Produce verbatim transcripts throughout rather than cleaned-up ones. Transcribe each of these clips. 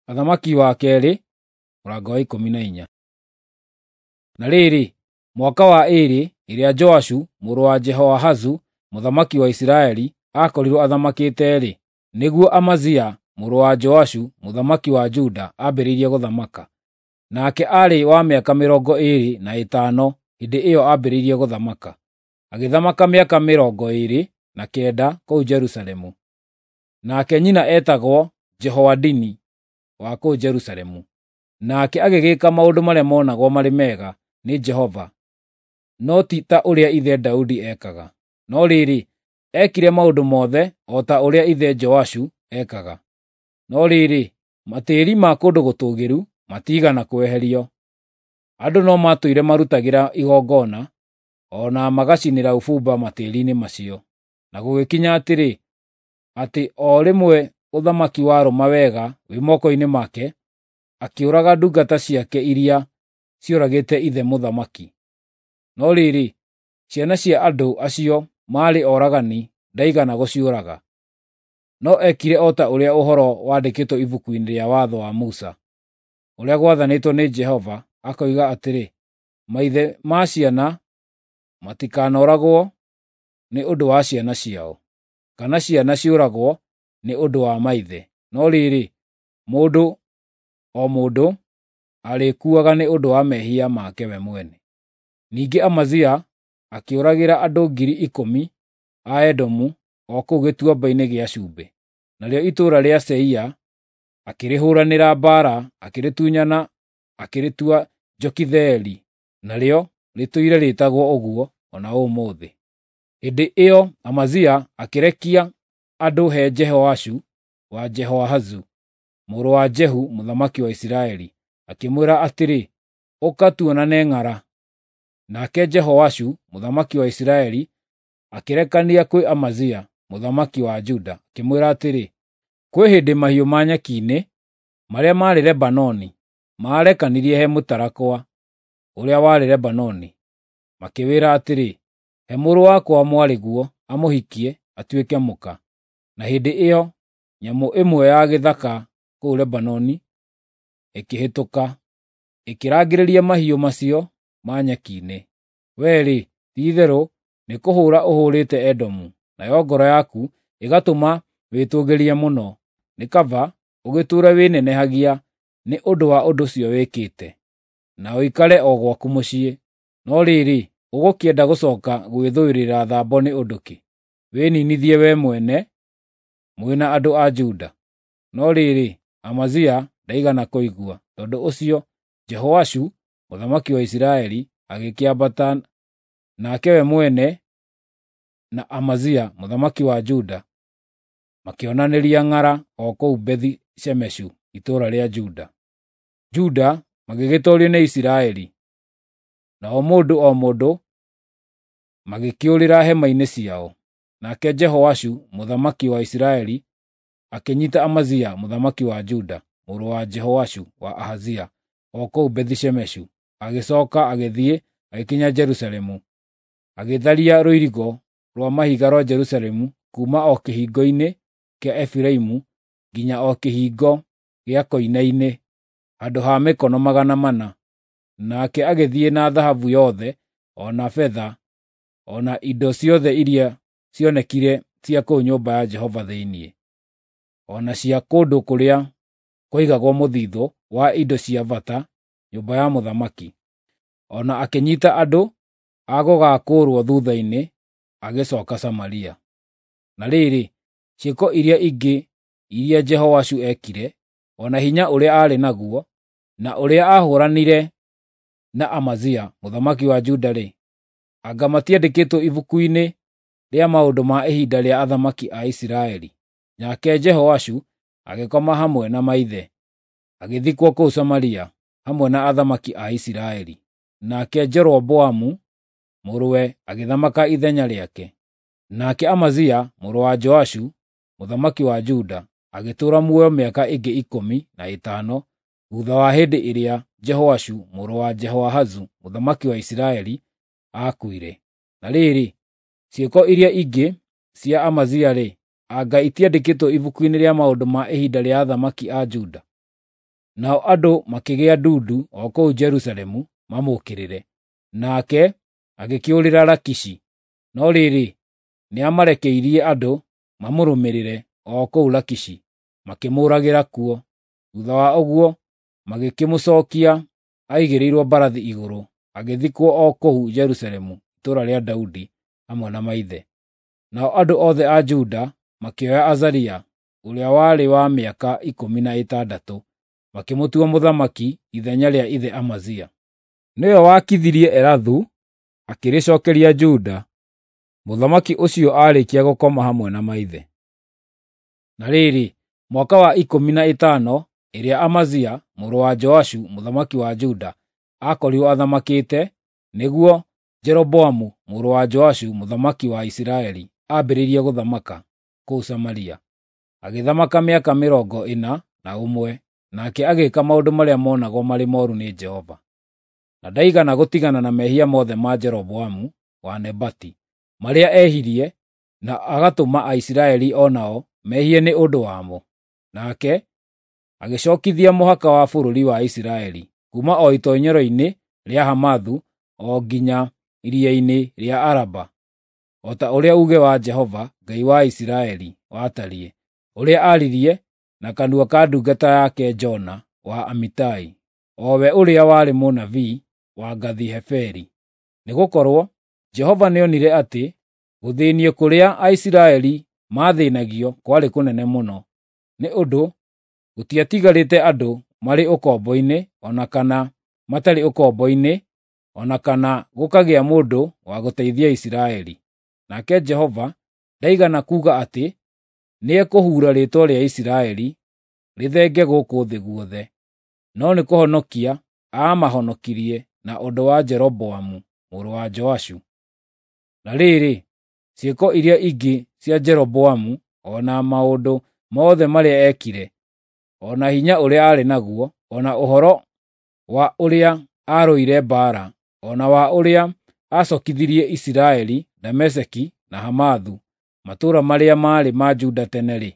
Athamaki wa Keerĩ mũrango wa ikũmi na inya. Na rĩrĩ, mwaka wa ĩĩrĩ ĩrĩa Joashu mũrũ wa Jehoahazu mũthamaki wa Isiraeli aakorirwo athamakĩte-rĩ, nĩguo Amazia mũrũ wa Joashu mũthamaki wa Juda ambĩrĩirie gũthamaka. Nake aarĩ wa mĩaka mĩrongo ĩĩrĩ na ĩtano hĩndĩ ĩyo ambĩrĩirie gũthamaka, agĩthamaka mĩaka mĩrongo ĩĩrĩ na kenda kũu Jerusalemu. Nake nyina eetagwo Jehoadini wa kũu Jerusalemu. Nake agĩgĩka maũndũ marĩa monagwo marĩ mega nĩ Jehova, no ti ta ũrĩa ithe Daudi ekaga. No rĩrĩ, eekire maũndũ mothe o ta ũrĩa ithe Joashu ekaga. No rĩrĩ, matĩĩri ma kũndũ gũtũũgĩru matiigana kweherio. Andũ no maatũire marutagĩra igongona o na magacinĩra ũbumba matĩĩri-inĩ macio. Na gũgĩkinya atĩrĩ, atĩ o rĩmwe ũthamaki warũma wega wĩ moko-inĩ make, akĩũraga ndungata ciake iria cioragĩte ithe mũthamaki. No rĩrĩ, ciana cia andũ acio maarĩ oragani ndaigana gũciũraga. No eekire o ta ũrĩa ũhoro wandĩkĩtwo ibuku-inĩ rĩa Watho wa Musa, ũrĩa gwathanĩtwo nĩ Jehova, akoiga atĩrĩ, maithe ma ciana matikanoragwo nĩ ũndũ wa ciana ciao, kana ciana ciũragwo nĩ ũndũ wa maithe. No rĩrĩ, mũndũ o mũndũ arĩkuaga nĩ ũndũ wa mehia make we mwene. Ningĩ Amazia akĩũragĩra andũ ngiri ikũmi a Edomu o kũu Gĩtuamba-inĩ gĩa Cumbĩ. Narĩo itũũra rĩa Seia akĩrĩhũũranĩra mbaara, akĩrĩtunyana akĩrĩtua Jokitheeli, narĩo rĩtũire rĩĩtagwo ũguo o na ũmũthĩ. Hĩndĩ ĩyo Amazia akĩrekia andũ he Jehoashu wa Jehoahazu mũrũ wa Jehu mũthamaki wa Isiraeli, akĩmwĩra atĩrĩ, “Ũka tuonane ng'ara.” Nake Jehoashu mũthamaki wa Isiraeli akĩrekania kwĩ Amazia mũthamaki wa Juda, akĩmwĩra atĩrĩ, “Kwĩ hĩndĩ mahiũ ma nyeki-inĩ marĩa maarĩ Lebanoni maarekanirie he mũtarakwa ũrĩa warĩ Lebanoni, makĩwĩra atĩrĩ, ‘He mũrũ wakwa mwarĩguo amũhikie atuĩke mũka.’ Na hĩndĩ ĩyo nyamũ ĩmwe ya gĩthaka kũu Lebanoni ĩkĩhĩtũka, ĩkĩrangĩrĩria mahiũ macio ma nyeki-inĩ. Wee-rĩ, ti-itherũ nĩkũhũũra ũhũũrĩte Edomu, nayo ngoro yaku ĩgatũma wĩtũũgĩrie mũno. Nĩ kaba ũgĩtũũre wĩnenehagia nĩ ũndũ wa ũndũ ũcio wĩkĩte, na ũikare o gwaku mũciĩ. No rĩrĩ, ũgũkĩenda gũcooka gwĩthũĩrĩra thambo nĩ ũndũ kĩ, wĩniinithie wee mwene mwĩ na andũ a Juda?” No rĩrĩ, Amazia ndaigana kũigua. Tondũ ũcio Jehoashu mũthamaki wa Isiraeli agĩkĩambata, nake we mwene na Amazia mũthamaki wa Juda makĩonanĩria ng'ara o kũu Bethi-Shemeshu itũũra rĩa Juda. Juda magĩgĩtoorio nĩ Isiraeli, nao mũndũ o mũndũ magĩkĩũrĩra hema-inĩ ciao. Nake Jehoashu mũthamaki wa Isiraeli akĩnyiita Amazia mũthamaki wa Juda, mũrũ wa Jehoashu wa Ahazia, o kũu Bethi-Shemeshu. Agĩcooka agĩthiĩ agĩkinya Jerusalemu, agĩtharia rũirigo rwa mahiga rwa Jerusalemu kuuma o kĩhingo-inĩ kĩa Efiraimu nginya o kĩhingo gĩa koine-inĩ, handũ ha mĩkono magana mana. Nake agĩthiĩ na thahabu yothe, o na betha, o na indo ciothe iria cionekire cia kũu nyũmba ya Jehova thĩinĩ, o na cia kũndũ kũrĩa kwaigagwo mũthithũ wa indo cia bata nyũmba ya mũthamaki. O na akĩnyiita andũ a gũgaakũũrwo thuutha-inĩ, agĩcooka Samaria. Na rĩrĩ, ciĩko iria ingĩ iria Jehoashu eekire, o na hinya ũrĩa aarĩ naguo, na ũrĩa aahũũranire na Amazia mũthamaki wa Juda-rĩ, anga matiandĩkĩtwo ibuku-inĩ rĩa maũndũ ma ihinda rĩa athamaki a Isiraeli? Nake Jehoashu agĩkoma hamwe na maithe, agĩthikwo kũu Samaria hamwe na athamaki a Isiraeli. Nake Jeroboamu mũrũwe agĩthamaka ithenya rĩake. Nake Amazia mũrũ wa Joashu mũthamaki wa Juda agĩtũũra muoyo mĩaka ĩngĩ ikũmi na ĩtano thuutha wa hĩndĩ ĩrĩa Jehoashu mũrũ wa Jehoahazu mũthamaki wa Isiraeli aakuire. Na rĩrĩ, ciĩko iria ingĩ cia Amazia-rĩ, anga itiandĩkĩtwo ibuku-inĩ rĩa maũndũ ma ihinda rĩa athamaki a Juda? Nao andũ makĩgĩa ndundu o kũu Jerusalemu mamũũkĩrĩre, nake agĩkĩũrĩra Lakishi. No rĩrĩ, nĩamarekeirie andũ mamũrũmĩrĩre o kũu Lakishi, makĩmũũragĩra kuo. Thuutha wa ũguo magĩkĩmũcookia aigĩrĩirwo mbarathi igũrũ, agĩthikwo o kũu Jerusalemu itũũra rĩa Daudi hamwe na maithe. Nao andũ othe a Juda makĩoya Azaria, ũrĩa warĩ wa mĩaka ikũmi na ĩtandatũ, makĩmũtua mũthamaki ithenya rĩa ithe Amazia. Nĩwe waakithirie Elathu, akĩrĩcookeria Juda, mũthamaki ũcio aarĩkia gũkoma hamwe na maithe. Na rĩrĩ, mwaka wa ikũmi na ĩtano ĩrĩa Amazia mũrũ wa Joashu mũthamaki wa Juda aakorirwo athamakĩte, nĩguo Jeroboamu mũrũ wa Joashu mũthamaki wa Isiraeli ambĩrĩirie gũthamaka kũu Samaria. Agĩthamaka mĩaka mĩrongo ĩna na ũmwe, nake agĩĩka maũndũ marĩa monagwo marĩ mooru nĩ Jehova. Na ndaigana gũtigana na mehia mothe ma Jeroboamu wa Nebati, marĩa ehirie na agatũma Aisiraeli o nao mehie nĩ ũndũ wamo. Nake agĩcookithia mũhaka wa bũrũri wa Isiraeli kuuma o itoonyero-inĩ rĩa Hamathu o nginya iria-inĩ rĩa Araba, o ta ũrĩa uuge wa Jehova, Ngai wa Isiraeli, watariĩ, ũrĩa aaririe na kanua ka ndungata yake Jona wa Amitai, o we ũrĩa warĩ mũnabii wa Gathi-Heferi. Nĩgũkorwo Jehova nĩonire atĩ gũthĩĩnio kũrĩa Aisiraeli maathĩĩnagio kwarĩ kũnene mũno, nĩ ũndũ gũtiatigarĩte andũ marĩ ũkombo-inĩ o na kana matarĩ ũkombo-inĩ, o na kana gũkagĩa mũndũ wa gũteithia Isiraeli. Nake Jehova ndaigana kuuga atĩ nĩekũhuura rĩĩtwa rĩa Isiraeli rĩthenge gũkũ thĩ guothe, no nĩ kũhonokia aamahonokirie na ũndũ wa Jeroboamu mũrũ wa Joashu. Na rĩrĩ, ciĩko iria ingĩ cia Jeroboamu, o na maũndũ mothe marĩa eekire, o na hinya ũrĩa aarĩ naguo, o na ũhoro wa ũrĩa aarũire mbaara, o na wa ũrĩa aacookithirie Isiraeli Dameski na Hamathu, matũũra marĩa maarĩ ma Juda tene-rĩ,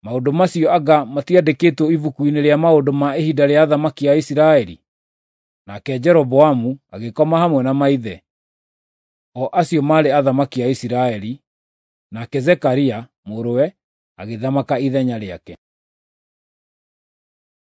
maũndũ macio anga matiandĩkĩtwo ibuku-inĩ rĩa maũndũ ma ihinda rĩa athamaki a Isiraeli? Nake Jeroboamu agĩkoma hamwe na maithe, o acio maarĩ athamaki a Isiraeli, nake Zekaria mũrũwe agĩthamaka ithenya rĩake.